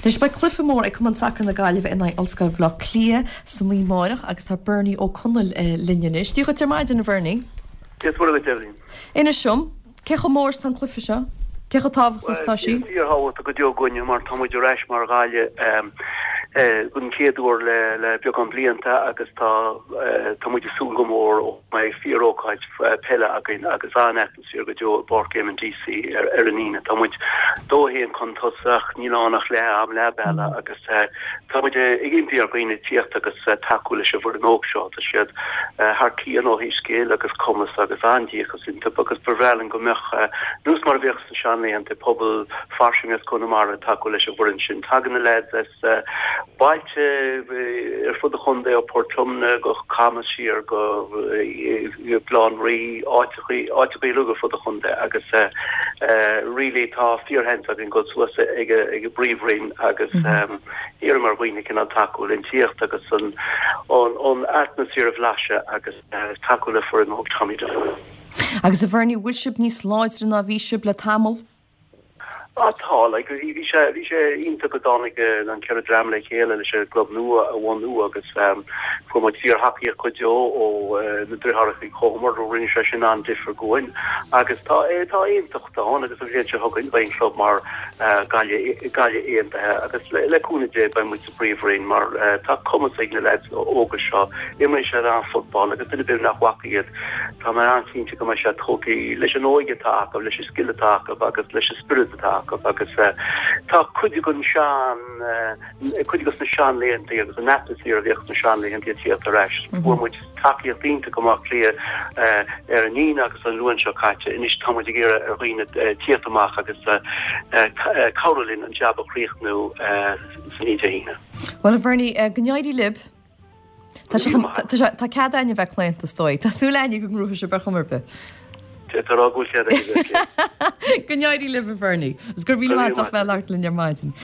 Anois beidh cluiche mór ag Cumann Sacair na Gaillimhe in aghaidh Ollscoil Bhaile Átha Cliath san oíche amárach agus tá Bernie Ó Conaill linn anois. Dia dhuit ar maidin, a Bhernie. Dia is Muire dhuit, Eibhlín. Inis dom, cé chomh mór is atá an cluiche seo? Cé chomh tábhachtach is atá sí? Bhuel, fíorthábhachtach go deo dhúinne mar tá muid ar ais mar Ghaillimh den chéad uair le beagán blianta agus tá tá muid ag súil go mór go mbeidh fíorócáid peile againn agus an-atmaisféar go deo i bPáirc Éamonn Deacy ar an Aoine. Tá muid 2-1 chun tosaigh, níl ann ach leath am, leath bealaigh agus tá muid ag impí ar dhaoine tíocht agus tacú leis an bhfoireann óg seo. Tá siad thar cionn ó thaobh scil agus cumas agus an-díocas iontu agus ba bhreá linn go mbeadh, nós mar a bhíodh sna seanlaethanta, pobal fairsing as Conamara ag tacú leis an bhfoireann sin. Tagann na leaids as bailte ar fud an chontae, ó Port Omna go Camas siar go Baile Átha an Rí, áiteachaí uilig ar fud an chontae agus really tá fíorsheans againn dul suas ag an bPríomhroinn agus iarraim ar dhaoine cineál tacú linn tíocht agus an atmaisféar a bhlaiseadh agus tacú le foireann óg Tommy Doyle. Agus a Bhernie, bhfuil sibh níos láidre ná bhí sibh le tamall? Ah tá, like bhí sé, bhí sé iontach go dtáinig an 4 dream le chéile leis an gclub nua a bhunú agus fuair muid fíor-thacaíocht go deo ó na deartháireacha Uí Chomair, rinne sé sin an-difear dhúinn agus tá, tá aontacht ann agus an bhliain seo chugainn beidh an club mar Gaillimh, Gaillimh Aontaithe agus le cúnamh Dé beidh muid sa bPríomhroinn mar tá cumas ag na leaids óga seo, imríonn siad an-fhootball agus duine ar bith nach bhfaca iad Tá mé an-chinnte go mbeidh siad tógtha leis an óige atá acu, leis an scil atá acu agus leis an spiorad atá acu agus tá cuid den sean, cuid de na seanlaethanta agus an atmaisféar a bhíodh sna seanlaethanta ag tíocht ar ais. Fuair muid tacaíocht iontach i mBaile Átha Cliath ar an Aoine agus an Luan seo caite. Anois tá muid ag iarraidh ar dhaoine tíocht amach agus cabhrú linn an jab a chríochnú san oíche Dé hAoine. Bhuel, a Bhernie, go n-éirí libh. Tá sé chun, tá sé, tá cead againn a bheith claonta is dóigh. Tá súil againn go ngnóthóidh sibh ar chuma ar bith. Tá rá go bhfuil cead againn a bheith claonta. Go n-éirí libh a Bhernie. Agus go raibh míle maith agat as bheith ag labhairt linn ar maidin.